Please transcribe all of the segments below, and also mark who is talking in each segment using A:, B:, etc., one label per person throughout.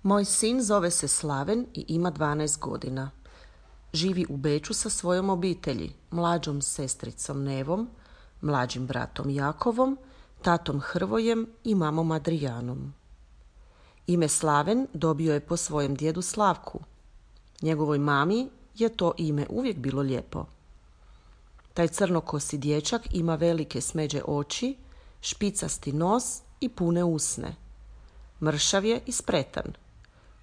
A: Moj sin zove se Slaven i ima 12 godina. Živi u Beču sa svojom obitelji, mlađom sestricom Nevom, mlađim bratom Jakovom, tatom Hrvojem i mamom Adrijanom. Ime Slaven dobio je po svojem djedu Slavku. Njegovoj mami je to ime uvijek bilo lijepo. Taj crnokosi dječak ima velike smeđe oči, špicasti nos i pune usne. Mršav je i spretan.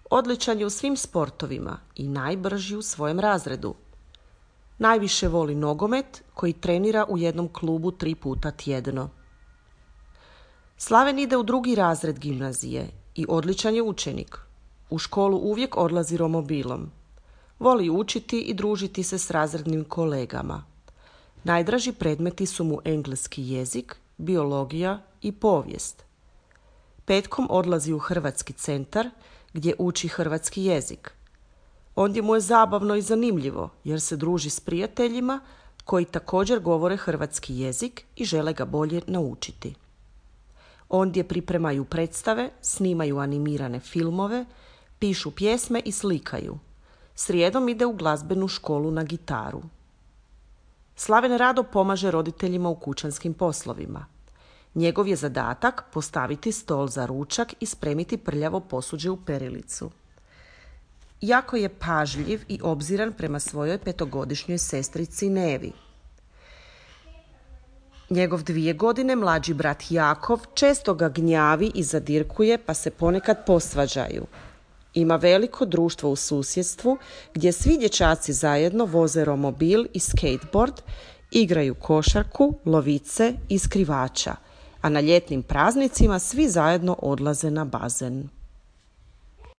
A: Odličan je u svim sportovima i najbrži u svojem razredu. Najviše voli nogomet koji trenira u jednom klubu 3 puta tjedno. Slaven ide u 2. razred gimnazije i odličan je učenik. U školu uvijek odlazi romobilom. Voli učiti i družiti se s razrednim kolegama. Najdraži predmeti su mu engleski jezik, biologija i povijest. Petkom odlazi u Hrvatski centar gdje uči hrvatski jezik. Ondje mu je zabavno i zanimljivo jer se druži s prijateljima koji također govore hrvatski jezik i žele ga bolje naučiti. Ondje pripremaju predstave, snimaju animirane filmove, pišu pjesme i slikaju. Srijedom ide u glazbenu školu na gitaru. Slaven rado pomaže roditeljima u kućanskim poslovima. Njegov je zadatak postaviti stol za ručak i spremiti prljavo posuđe u perilicu. Jako je pažljiv i obziran prema svojoj 5-godišnjoj sestrici Nevi. Njegov 2 godine mlađi brat Jakov često ga gnjavi i zadirkuje pa se ponekad posvađaju. Ima veliko društvo u susjedstvu gdje svi dječaci zajedno voze romobil i skateboard, igraju košarku, lovice i skrivača, a na ljetnim praznicima svi zajedno odlaze na bazen.